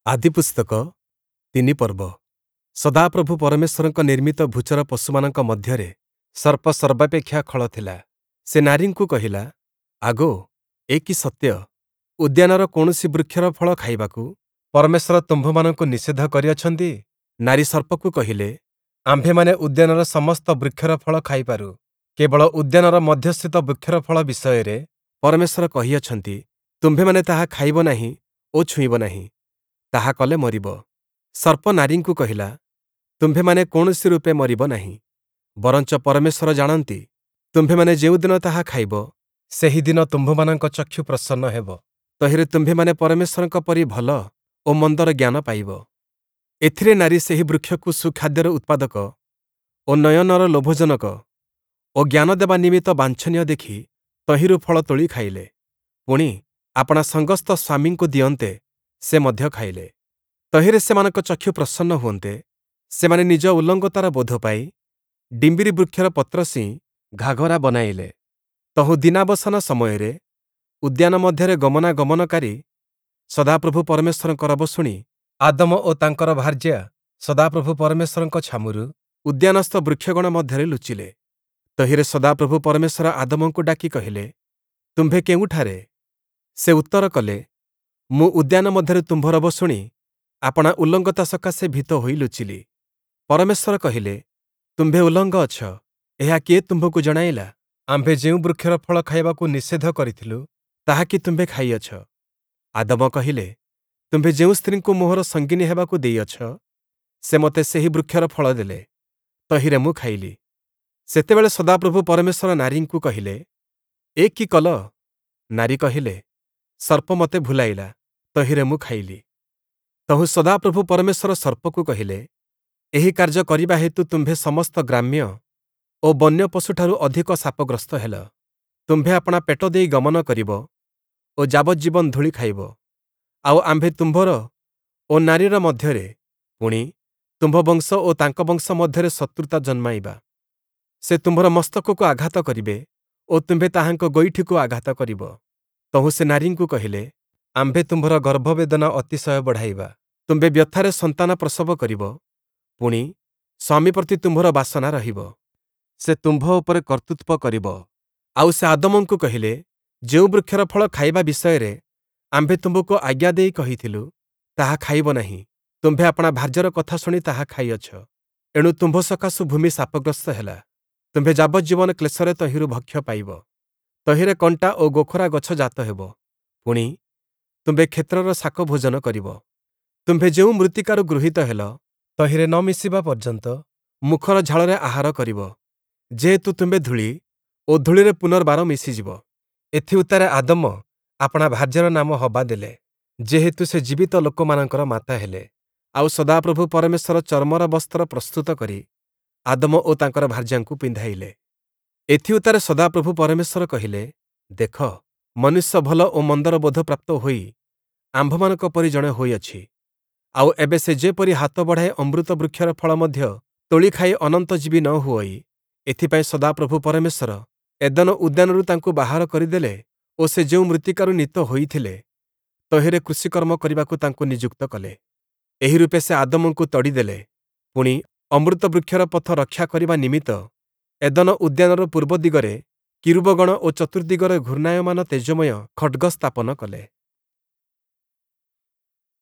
ଆଦିପୁସ୍ତକ 3 ପର୍ବ। ସଦାପ୍ରଭୁ ପରମେଶ୍ୱରଙ୍କ ନିର୍ମିତ ଭୂଚର ପଶୁମାନଙ୍କ ମଧ୍ୟରେ ସର୍ପ ସର୍ବାପେକ୍ଷା ଖଳ ଥିଲା। ସେ ନାରୀଙ୍କୁ କହିଲା, ଆଗୋ, ଏ କି ସତ୍ୟ, ଉଦ୍ୟାନର କୌଣସି ବୃକ୍ଷର ଫଳ ଖାଇବାକୁ ପରମେଶ୍ୱର ତୁମ୍ଭମାନଙ୍କୁ ନିଷେଧ କରିଅଛନ୍ତି? ନାରୀ ସର୍ପକୁ କହିଲେ, ଆମ୍ଭେମାନେ ଉଦ୍ୟାନର ସମସ୍ତ ବୃକ୍ଷର ଫଳ ଖାଇପାରୁ, କେବଳ ଉଦ୍ୟାନର ମଧ୍ୟସ୍ଥିତ ବୃକ୍ଷର ଫଳ ବିଷୟରେ ପରମେଶ୍ୱର କହିଅଛନ୍ତି, ତୁମ୍ଭେମାନେ ତାହା ଖାଇବ ନାହିଁ ଓ ଛୁଇଁବ ନାହିଁ, ତାହା କଲେ ମରିବ। ସର୍ପ ନାରୀଙ୍କୁ କହିଲା, ତୁମ୍ଭେମାନେ କୌଣସି ରୂପେ ମରିବ ନାହିଁ, ବରଞ୍ଚ ପରମେଶ୍ୱର ଜାଣନ୍ତି, ତୁମ୍ଭେମାନେ ଯେଉଁଦିନ ତାହା ଖାଇବ, ସେହିଦିନ ତୁମ୍ଭମାନଙ୍କ ଚକ୍ଷୁ ପ୍ରସନ୍ନ ହେବ, ତହିଁରେ ତୁମ୍ଭେମାନେ ପରମେଶ୍ୱରଙ୍କ ପରି ଭଲ ଓ ମନ୍ଦର ଜ୍ଞାନ ପାଇବ। ଏଥିରେ ନାରୀ ସେହି ବୃକ୍ଷକୁ ସୁଖାଦ୍ୟର ଉତ୍ପାଦକ ଓ ନୟନର ଲୋଭଜନକ ଓ ଜ୍ଞାନ ଦେବା ନିମିତ୍ତ ବାଞ୍ଛନୀୟ ଦେଖି ତହିଁରୁ ଫଳ ତୋଳି ଖାଇଲେ। ପୁଣି, ଆପଣା ସଙ୍ଗସ୍ଥ ସ୍ୱାମୀଙ୍କୁ ଦିଅନ୍ତେ ସେ ମଧ୍ୟ ଖାଇଲେ। ତହିଁରେ ସେମାନଙ୍କ ଚକ୍ଷୁ ପ୍ରସନ୍ନ ହୁଅନ୍ତେ, ସେମାନେ ନିଜ ଉଲଙ୍ଗତାର ବୋଧ ପାଇ ଡିମ୍ବିରି ବୃକ୍ଷର ପତ୍ର ସିଇଁ ଘାଘରା ବନାଇଲେ। ତହୁଁ ଦିନାବସାନ ସମୟରେ ଉଦ୍ୟାନ ମଧ୍ୟରେ ଗମନାଗମନକାରୀ ସଦାପ୍ରଭୁ ପରମେଶ୍ୱରଙ୍କ ରବ ଶୁଣି ଆଦମ ଓ ତାଙ୍କର ଭାର୍ଯ୍ୟା ସଦାପ୍ରଭୁ ପରମେଶ୍ୱରଙ୍କ ଛାମୁରୁ ଉଦ୍ୟାନସ୍ଥ ବୃକ୍ଷଗଣ ମଧ୍ୟରେ ଲୁଚିଲେ। ତହିଁରେ ସଦାପ୍ରଭୁ ପରମେଶ୍ୱର ଆଦମଙ୍କୁ ଡାକି କହିଲେ, ତୁମ୍ଭେ କେଉଁଠାରେ? ସେ ଉତ୍ତର କଲେ, ମୁଁ ଉଦ୍ୟାନ ମଧ୍ୟରେ ତୁମ୍ଭ ରବ ଶୁଣି ଆପଣା ଉଲଙ୍ଗତା ସକାଶେ ଭୀତ ହୋଇ ଲୁଚିଲି। ପରମେଶ୍ୱର କହିଲେ, ତୁମ୍ଭେ ଉଲଙ୍ଗ ଅଛ, ଏହା କିଏ ତୁମ୍ଭକୁ ଜଣାଇଲା? ଆମ୍ଭେ ଯେଉଁ ବୃକ୍ଷର ଫଳ ଖାଇବାକୁ ନିଷେଧ କରିଥିଲୁ, ତାହା କି ତୁମ୍ଭେ ଖାଇଅଛ? ଆଦମ କହିଲେ, ତୁମ୍ଭେ ଯେଉଁ ସ୍ତ୍ରୀଙ୍କୁ ମୋହର ସଙ୍ଗିନୀ ହେବାକୁ ଦେଇଅଛ, ସେ ମୋତେ ସେହି ବୃକ୍ଷର ଫଳ ଦେଲେ, ତହିଁରେ ମୁଁ ଖାଇଲି। ସେତେବେଳେ ସଦାପ୍ରଭୁ ପରମେଶ୍ୱର ନାରୀଙ୍କୁ କହିଲେ, ଏ କି କଲ? ନାରୀ କହିଲେ, ସର୍ପ ମୋତେ ଭୁଲାଇଲା, ତହିଁରେ ମୁଁ ଖାଇଲି। ତହୁଁ ସଦାପ୍ରଭୁ ପରମେଶ୍ୱର ସର୍ପକୁ କହିଲେ, ଏହି କାର୍ଯ୍ୟ କରିବା ହେତୁ ତୁମ୍ଭେ ସମସ୍ତ ଗ୍ରାମ୍ୟ ଓ ବନ୍ୟ ପଶୁଠାରୁ ଅଧିକ ଶାପଗ୍ରସ୍ତ ହେଲ। ତୁମ୍ଭେ ଆପଣା ପେଟ ଦେଇ ଗମନ କରିବ ଓ ଯାବଜ୍ଜୀବନ ଧୂଳି ଖାଇବ। ଆଉ ଆମ୍ଭେ ତୁମ୍ଭର ଓ ନାରୀର ମଧ୍ୟରେ, ପୁଣି, ତୁମ୍ଭ ବଂଶ ଓ ତାଙ୍କ ବଂଶ ମଧ୍ୟରେ ଶତ୍ରୁତା ଜନ୍ମାଇବା। ସେ ତୁମ୍ଭର ମସ୍ତକକୁ ଆଘାତ କରିବେ ଓ ତୁମ୍ଭେ ତାହାଙ୍କ ଗୋଇଠିକୁ ଆଘାତ କରିବ। ତହୁଁ ସେ ନାରୀଙ୍କୁ କହିଲେ, ଆମ୍ଭେ ତୁମ୍ଭର ଗର୍ଭବେଦନା ଅତିଶୟ ବଢ଼ାଇବା। ତୁମ୍ଭେ ବ୍ୟଥାରେ ସନ୍ତାନ ପ୍ରସବ କରିବ, ପୁଣି, ସ୍ୱାମୀ ପ୍ରତି ତୁମ୍ଭର ବାସନା ରହିବ। ସେ ତୁମ୍ଭ ଉପରେ କର୍ତ୍ତୃତ୍ୱ କରିବ। ଆଉ ସେ ଆଦମଙ୍କୁ କହିଲେ, ଯେଉଁ ବୃକ୍ଷର ଫଳ ଖାଇବା ବିଷୟରେ ଆମ୍ଭେ ତୁମ୍ଭକୁ ଆଜ୍ଞା ଦେଇ କହିଥିଲୁ, ତାହା ଖାଇବ ନାହିଁ, ତୁମ୍ଭେ ଆପଣା ଭାର୍ଯ୍ୟାର କଥା ଶୁଣି ତାହା ଖାଇଅଛ। ଏଣୁ ତୁମ୍ଭ ସକାଶୁ ଭୂମି ଶାପଗ୍ରସ୍ତ ହେଲା। ତୁମ୍ଭେ ଯାବଜ୍ଜୀବନ କ୍ଲେଶରେ ତହିଁରୁ ଭକ୍ଷ୍ୟ ପାଇବ। ତହିଁରେ କଣ୍ଟା ଓ ଗୋଖରା ଗଛ ଜାତ ହେବ। ପୁଣି, ତୁମ୍ଭେ କ୍ଷେତ୍ରର ଶାକ ଭୋଜନ କରିବ। ତୁମ୍ଭେ ଯେଉଁ ମୃତ୍ତିକାରୁ ଗୃହୀତ ହେଲ, ତହିଁରେ ନ ମିଶିବା ପର୍ଯ୍ୟନ୍ତ ମୁଖର ଝାଳରେ ଆହାର କରିବ, ଯେହେତୁ ତୁମ୍ଭେ ଧୂଳି ଓ ଧୂଳିରେ ପୁନର୍ବାର ମିଶିଯିବ। ଏଥିଉତ୍ତାରେ ଆଦମ ଆପଣା ଭାର୍ଯ୍ୟାର ନାମ ହବା ଦେଲେ, ଯେହେତୁ ସେ ଜୀବିତ ଲୋକମାନଙ୍କର ମାତା ହେଲେ। ଆଉ ସଦାପ୍ରଭୁ ପରମେଶ୍ୱର ଚର୍ମର ବସ୍ତ୍ର ପ୍ରସ୍ତୁତ କରି ଆଦମ ଓ ତାଙ୍କର ଭାର୍ଯ୍ୟାଙ୍କୁ ପିନ୍ଧାଇଲେ। ଏଥିଉତ୍ତାରେ ସଦାପ୍ରଭୁ ପରମେଶ୍ୱର କହିଲେ, ଦେଖ, ମନୁଷ୍ୟ ଭଲ ଓ ମନ୍ଦର ବୋଧ ପ୍ରାପ୍ତ ହୋଇ ଆମ୍ଭମାନଙ୍କ ପରି ଜଣେ ହୋଇଅଛି। ଆଉ ଏବେ ସେ ଯେପରି ହାତ ବଢ଼ାଇ ଅମୃତ ବୃକ୍ଷର ଫଳ ମଧ୍ୟ ତୋଳି ଖାଇ ଅନନ୍ତଜୀବୀ ନ ହୁଅଇ, ଏଥିପାଇଁ ସଦାପ୍ରଭୁ ପରମେଶ୍ୱର ଏଦନ ଉଦ୍ୟାନରୁ ତାଙ୍କୁ ବାହାର କରିଦେଲେ ଓ ସେ ଯେଉଁ ମୃତ୍ତିକାରୁ ନୀତ ହୋଇଥିଲେ, ତହିଁରେ କୃଷିକର୍ମ କରିବାକୁ ତାଙ୍କୁ ନିଯୁକ୍ତ କଲେ। ଏହି ରୂପେ ସେ ଆଦମଙ୍କୁ ତଡ଼ିଦେଲେ। ପୁଣି, ଅମୃତ ବୃକ୍ଷର ପଥ ରକ୍ଷା କରିବା ନିମିତ୍ତ ଏଦନ ଉଦ୍ୟାନର ପୂର୍ବ ଦିଗରେ କିରୂବଗଣ ଓ ଚତୁର୍ଦ୍ଦିଗରେ ଘୂର୍ଣ୍ଣାୟମାନ ତେଜୋମୟ ଖଡ଼୍ଗ ସ୍ଥାପନ କଲେ।